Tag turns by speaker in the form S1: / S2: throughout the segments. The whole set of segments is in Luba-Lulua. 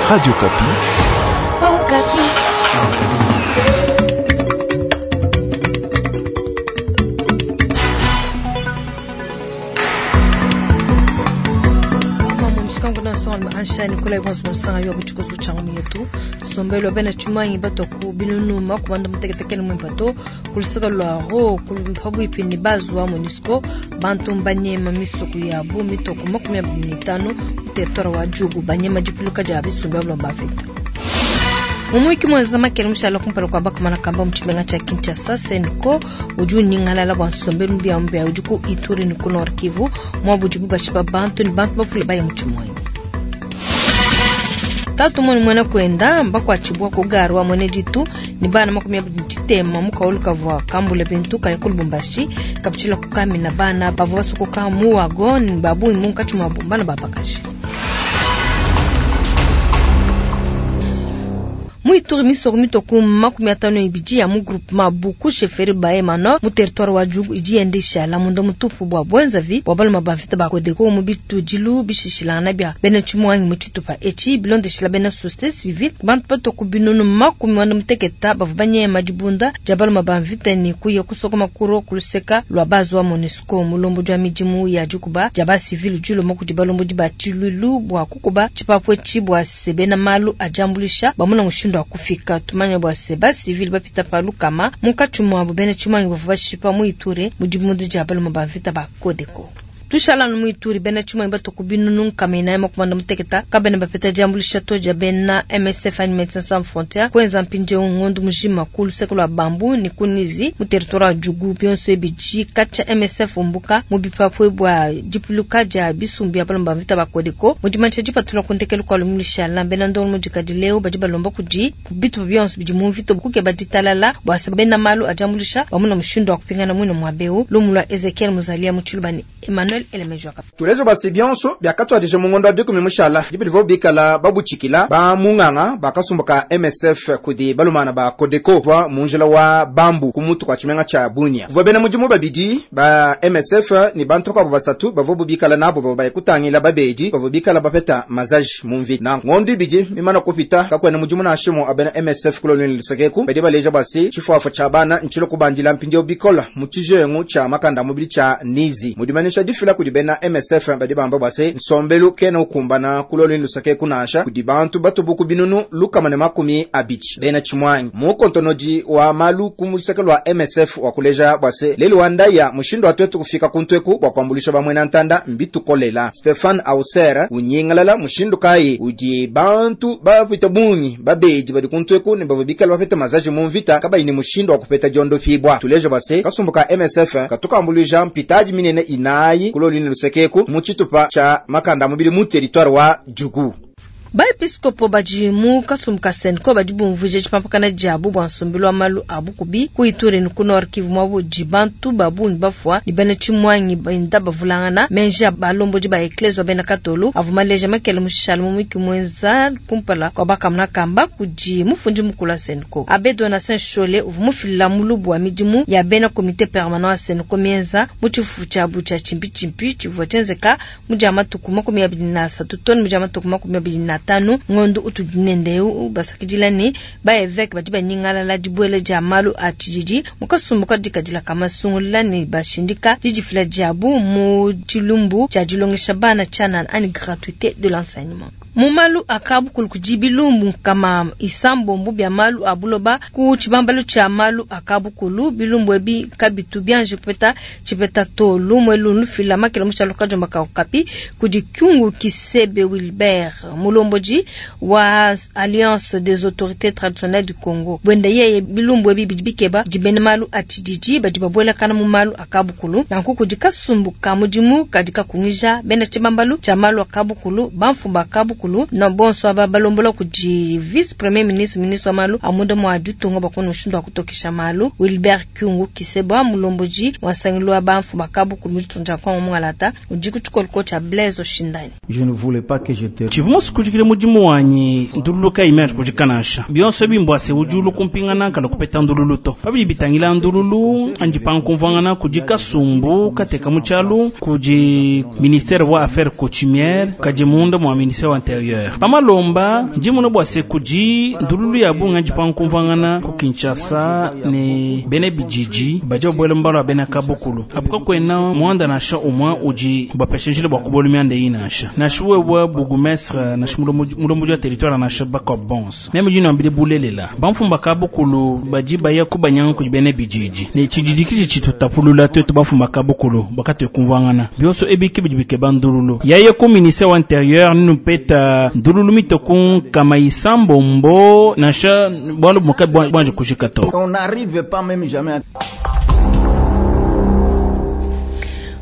S1: Radio Okapi.
S2: Okapi.
S3: Nicolas Gonzo Monsanga yo buchikozo changu yetu sombelo bena chumanyi batoku binunu makubanda muteketekele mwimpato kulusaka lwa ro kuluphabu ipini bazwa MONUSCO bantu mbanyema misuku ya bu mitoko 25 territoire wa Djugu banyema dipuluka dia bisumbi bulomba vita. Mumuiki mwenza makele mushala kumpala kwa bakamana kamba muchimenga cha Kinshasa Senko udi unyingalala bwa nsombelu mbia mbia udi ku Ituri ni ku Nord Kivu mwa budibu bashipa bantu ni bantu bafule baye muchimwenyi. Tatu mwene mwene kwenda mbakwachibwa kugarwa mwene ditu ni bana 23 mukaulu kavwa kambule bintu kaya ku Lubumbashi kapichila kukamina bana bavua basukuka muwago ni babungi munkatshi mwa bana babakashi. Muituri misoko mitoku 52 ya mu groupement Buku chefferie Bahema mu territoire wa Djugu idi yendesha la munda mutupu bwa bwenzavi bwa baluma ba mvita ba Codeco mu bitudilu bishishilana bia bena tshimwangi mu tshitupa etshi bilondeshila bena société civile bantu batoku binunu 86 bavua banyema dibunda dia baluma ba mvita ni kuya kusokoma kuro kuluseka lwa bazi wa MONUSCO mulombo dia midimu ya dikuba dia ba civile diloma kudi balombodi ba tshilulu bwa kukuba tshipapu etshi bua se bena malu adiambulisha bamuna mushindu wa kufika tumanya bua se ba civile bapita pa lukama munkatshi muabu bena tshimanyi bavua bashipa mu Ituri mu dibunda dia baluma ba mvita ba Codeco. Tushala mu Ituri bena tshimanyi batoku binunu 496 kabena bapeta diambulisha to dia bena MSF anyi Médecins Sans Frontières kwenza mpindieu ngondo mujima ku luseke lua Bambu ni ku Nizi mu territoire wa Djugu bionso ebidi katshia MSF umbuka mu bipapue bua dipuluka dia bisumbu bia balomba mvita ba Codeco mu dimanyisha dipatula ku ndekelu kua lumingu lushala bena ndongo mudikadi leo badi balomba kudi bitupa bionso bidi mu mvita kukeba ditalala bua se bena malu adiambulisha bamuna mushindu wa kupingana muine muabeu lumu lua Ezekiel Muzalia mu Tshiluba ni Emmanuel
S4: Tulezo basi bionso byakatwadije mu ngondo wa dikumi mushala dibidivo bikala babutshikila ba munganga bakasumbuka MSF kudi balumana ba Codeco va munjila wa Bambu ku mutu kwa tshimenga tsha Bunia. Kuvua bena mudimu babidi ba MSF ni bantu kwabo basatu bavua bubikala nabo bavua bayekutangila babedi bavua bikala bapeta mazaji mu mvita. Na ngondo ibidi mimana kupita kakwena mudimu na shimo abena MSF kulonweni lusekeku badi baleja basi tshifuafa tsha bana ntshilo kubandila mpindieu bikola mu tshijengu tsha makanda mubili tsha Nizi. Mudimanisha difila kudi bena MSF badi bamba bwase nsombelu kena ukumbana kulolini lusake kunasha kudi bantu batubuku binunu lukama ne 20 bena chimwanyi mu kontonodi wa malu ku luseke lwa MSF wa kuleja bwase lelu wandaya mushindu atwetu kufika kuntweku bwa kwambulisha bamwena ntanda mbitukolela Stefan Ausera unyingalala mushindu kai udi bantu bapita bungi babedi badi kuntweku ne bavubikala bapeta mazaji mu mvita kabayi ni mushindu wa kupeta diondo fibwa tuleja bwase kasumbuka MSF katukambuluja mpitaji minene inayi kulolini lusekeku mu tshitupa tsha makanda mubili mu territoire wa Djugu.
S3: Baepiskopo badi mu kasumbu ka Senko badi bumvuija tshipampakana diabu bua nsombelu wa malu a bukubi ku Ituri ni ku Nord Kivu muabu di bantu ba bungi bafua ni bena tshimwangi benda bavulangana menji a balombodi ba eklezia bena katolu avua maleja makele mushala mu mwiki mwenza kumpala kua bakamuna kamba kudi mufundi mukulu wa Senko Abbé Donatien Nshole uvua mufilila mulubu wa midimu ya bena comité permanent wa Senko mienza mu tshifufu tshiabu tshia tshimpitshimpi tshivua tshienzeka mu dia matuku 23 toni mu dia matuku 25 ngondo utudinendeu basakidila ne ba évêque badi banyingalala dibuela dia malu a tshididi mukasumbu kadikadila kamasungula ne bashindika didifila diabu mu tshilumbu tshia dilongesha bana tshianana ani gratuité de l'enseignement. Mu malu akabukulu kudi bilumbu kama isambombu bia malu a buloba ku tshibambalu tshia malu akabukulu bilumbu ebi kabitu bianje kupeta tshipeta to lumwe lunu fila makela mushalo kajomba ka Okapi kudi Kyungu Kisebe Wilbert mulombodi wa Alliance des autorités traditionnelles du Congo bwenda yeye bilumbu ebi bidi bikeba dibene malu a tshididi badi babwelakana mu malu akabukulu nanku kudi kasumbu ka mudimu kadi kakungija bena tshibambalu tshia malu akabukulu bamfumba akabukulu na bonso aba balombola kudi vice premier ministre ministre wa malu amunda mwa ditunga bakona mushindu wa kutokesha malu Wilbert Kyungu Kiseba mulomboji wa nsangilu wa bamfumba akabukulu mu ditunga dia Kongo mungalata udi ku tshikoloko tshia Blaise Oshindani.
S5: Je ne voulais pas que je te
S6: Tshivua kujikile mudimu wanyi ndululu kayi kujikanasha bionso bimbwase ujulu kumpingana kala kupeta ndululu to pabidi bitangila ndululu andi pankumvwangana kudi kasumbu kateka mu tshialu kudi ministère wa affaires coutumières kadi munda mwa ministère wa interieur. Pamalomba ndi mona bua se kudi ndululu ya bungi adi pankumvuangana ku Kinshasa ne bena bididi badi babuela mu malu a bena kabukulu. Apu kakuena muanda nansha umue udi bapesha njila bua kubuela mianda eyi nansha. Nansha wewe bourgmestre, nansha mulombodi wa territoire, nansha bakuabu bonso. Meme ndi nuambila bulelela, bamfumu ba kabukulu badi baya kubanyanga kudi bena bididi ne tshididi kitshi tshitutapulula tuetu bamfumu ba kabukulu bakatuekumvuangana. Bionso ebi ke bidi bikeba ndululu. Yaye ku ministère wa intérieur nupeta ndululu mitoku nkama isambombo nansha bualu bumue kabuanji kujika to.
S1: On n'arrive pas même jamais à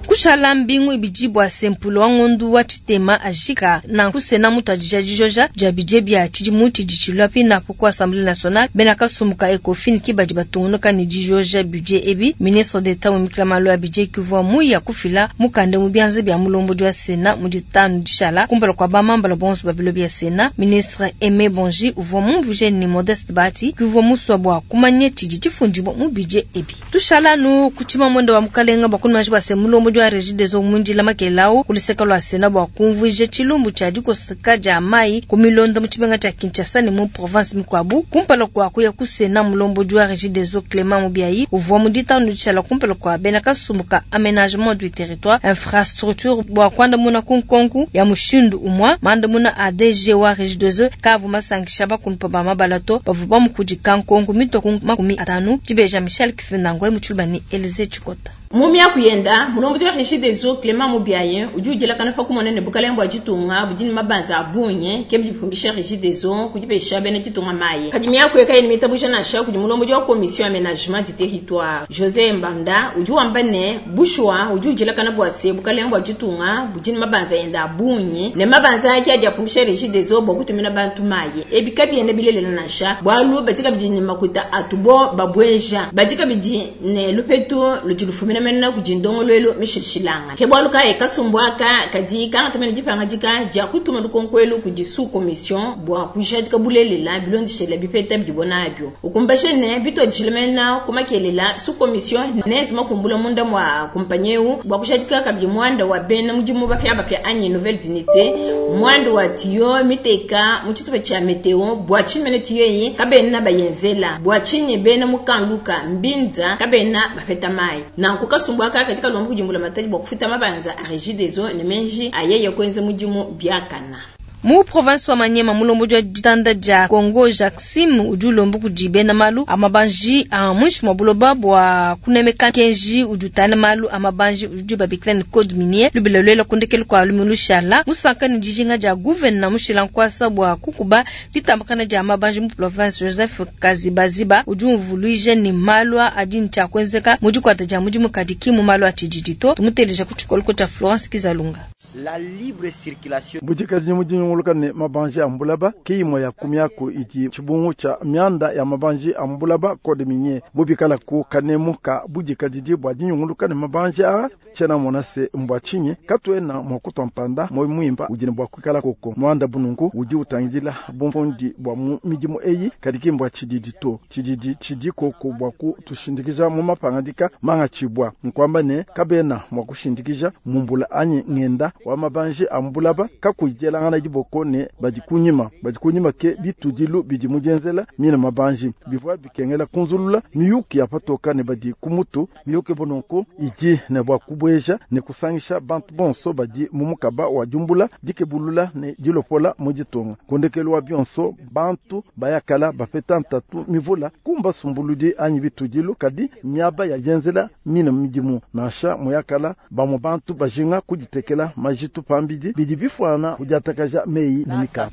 S3: Kushala mbingu ibidi bua sempulu wa ngondu wa tshitema ajika nanku sena mutu adija dijoja dia bidie bia tshidimu tshidi tshilua pinapo ku Assemblée nationale. Bena kasumbu ka Ecofin ki badi batungunuka ne dijoja budget ebi. Ministre d'Etat wimikila malu a budget kivua muya kufila mukanda mu bianza bia mulombodi wa Sena mu ditanu dishala kumpala kua bamambala bonso ba bilo bia Sena. Ministre Aimé Bonji uvua mumvuije ne Modeste Bahati kivua musua bua kumanya tshidi tshifundibua mu budget ebi. Tushala anu ku tshimamwenda wa mukalenga bua kunumaji bua se mulombodi wa Regideso mwindila makelau kuluseka lua Sena bua kumvuija tshilumbu tshia dikoseka dia mayi ku milonda mu tshimenga tshia Kinshasa ne mu province mikuabu. Kumpala kua kuya ku Sena, mulombodi wa Regideso Clément Mubiayi uvua mu ditanu dishala kumpala kua bena kasumbu ka aménagement du territoire infrastructure bua kuandamuna ku nkonku ya mushindu umua. Mandamuna a DG wa Regideso kavu masankisha bakunupa ba mabala to bavua bamukudika nkonku mitoku 50. Dibeja Michel Kifinangwe mu tshiluba ne Elise Tshikota.
S5: Mumia kuyenda mulombodi wa Regideso Clément Mubiayi udi udielakana pa kumona ne bukalenge bua ditunga budi ne mabanza a bungi ke bidi bipumbisha Regideso kudipesha bena ditunga mayi. Kadi miaku yakayi ne mitabuja nansha kudi mulombodi wa commission aménagement du territoire José Mbanda udi wamba ne bushuwa udi udielakana bua se bukalenge bua ditunga budi ne mabanza enda a bungi ne mabanza ake adi apumbisha Regideso bua kutumina bantu mayi. Ebi kabiena bilelela nansha bualu badi kabidi ne makuta atubo babweja badi kabidi ne lupetu ludi lufumina mena kudi ndongoluelu mishilshilanga. Ke bualu kayi kasumbu aka kadi kangata dipangadika dia kutuma lukonko kudi sous commission bua kujadika bulelela bilondeshela bipeta bidibo nabio. Ukumbashe ne bituadishile mena kumakelela sous commission nezi makumbula munda mwa kumpanyi eu bua kujadika kabidi muanda wa bena mudimu bapya bapya anyi nouvelle unité muanda wa tiyo miteka mu tshitupa tshia meteo bua tshinyi tiyo eyi kabena bayenzela bua tshinyi bena mukanluka mbinza kabena bapeta mayi. Nanku kasumbu aka kadi kalomba kudimbula matadi bua kufuta mabanza a Regideso ne menji ayeye kwenza mudimu biakana.
S3: Mu province wa Maniema mulombodi wa ditanda dia Congo Jacksim udi ulomba kudi bena malu a mabanji a mwishi mwa buloba bua kunemeka kenji udi utana malu a mabanji udi babikila ne code minier lubila lwela kundekelu kwa lumilu shala musanka ne dijinga dia gouverneur mushila nkwasa bua kukuba ditambakana dia mabanji mu province. Joseph Kazibaziba udi umvuluija ne malu adi ntshia kuenzeka mu dikwata dia mudimu kadi ki mu malu a tshididi to. Tumuteleja ku tshikoloko tshia Florence Kizalunga.
S7: La libre circulation
S8: budikadi mudinyunguluka ne mabanji a mbulaba ke imue ya kumiaku idi tshibungu tshia mianda ya mabanji a mbulaba code minier bubikala ku kanemu ka budikadidi bua dinyunguluka ne mabanji a tshiena mona se mbua tshinyi katuena mua kutua mpanda moyo muimpa udi ne bua kuikala koko muanda bununku udi utangidila bumfundi bua mu midimu eyi kadi ki mbua tshididi to tshididi tshidi koko bua kutushindikija mu mapangadika mangatshibua nkuamba ne kabena mua kushindikija mumbula anyi ngenda wa mabanji a mbulaba kakuyidielangana diboko ne badi kunyima badi kunyima ke bitudilu bidi mudienzela mine mabanji bivua bikengela kunzulula miyuki ya patoka ne badi kumutu miyuki bononko idi ne bua kubueja ne kusangisha bantu bonso badi mu mukaba wa diumbula dikebulula ne dilopola mu ditunga kundekelu wa bionso bantu bayakala bapeta ntatu mivula kumba sumbuludi anyi bitudilu kadi miaba ya dienzela mine midimu nansha muyakala bamwe bantu bajinga kuditekela majitu pambidi bidi bifuana kudiatakaja meyi ne mikanda.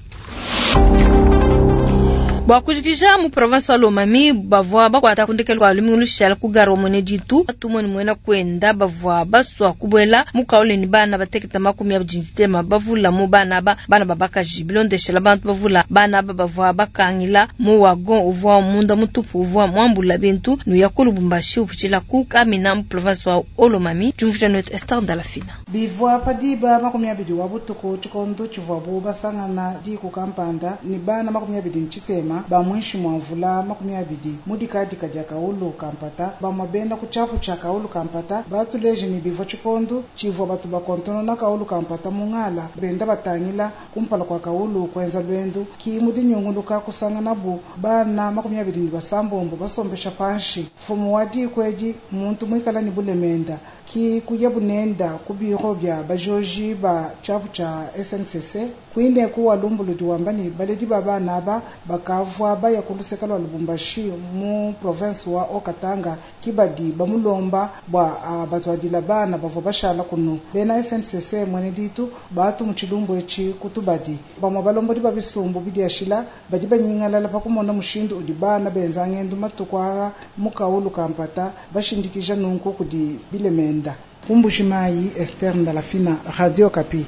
S3: Bua kujikija mu province wa Lomami bavua bakwata kundekelu kwa lumingu lushala ku gare wa mwene ditu tumone mwena kwenda bavua basua kubuela mu kaule ni bana bateketa 23 bavula mu bana ba bana babakaji bilondeshela bantu bavula bana aba bavua bakangila mu wagon uvua munda mutupu uvua mwambula bintu nuya ku Lubumbashi upitshila ku Kamina mu province wa Lomami. Jumvuja netu Esther Dalafina.
S9: Bivua padiba 20 wa butuku tshikondo tshivuabu basangana diku kampanda ni bana 23. balema ba muinshi mua mvula 20 mu dikadika dia kawulu ka mpata. Bamua bena ku tshiapu tshia kawulu ka mpata batuleje ne bivua tshikondu tshivua batu bakontonona kawulu ka mpata mu ngala benda batangila kumpala kua kawulu kuenza lwendu ki mu dinyunguluka kusanganabu bana 26 basombesha panshi. Mfumu wa diku edi muntu muikala ne bulemenda ki kuya bunenda ku biro bia bajoji ba tshiapu tshia SNCC kuineku wa lumbuludi wamba ne baledi ba bana aba bakavua baya ku luseka lua Lubumbashi mu province wa Haut-Katanga kibadi bamulomba bua batuadila bana bavua bashala kunu. Bena SNCC mwene ditu batu mu tshilumbu etshi kutubadi bamue balombodi ba bisumbu bidiashila badi banyingalala pa kumona mushindu udi bana benza ngendu matuku aa mu kawulu ka mpata bashindikija nunku kudi bilemenda. Kumbujimayi, Esther Ndalafina, Radio Okapi.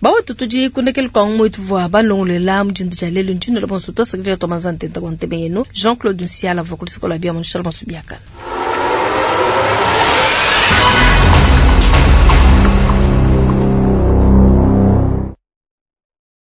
S3: Bawetu tudi kundekele kwa mwetu vwa balongolela mujindu dia lelu ntshindu bonso twasakidila twamanza ntenta bua ntebe yenu Jean-Claude Nsiala vua kulisikola bia munshala bonso biakana.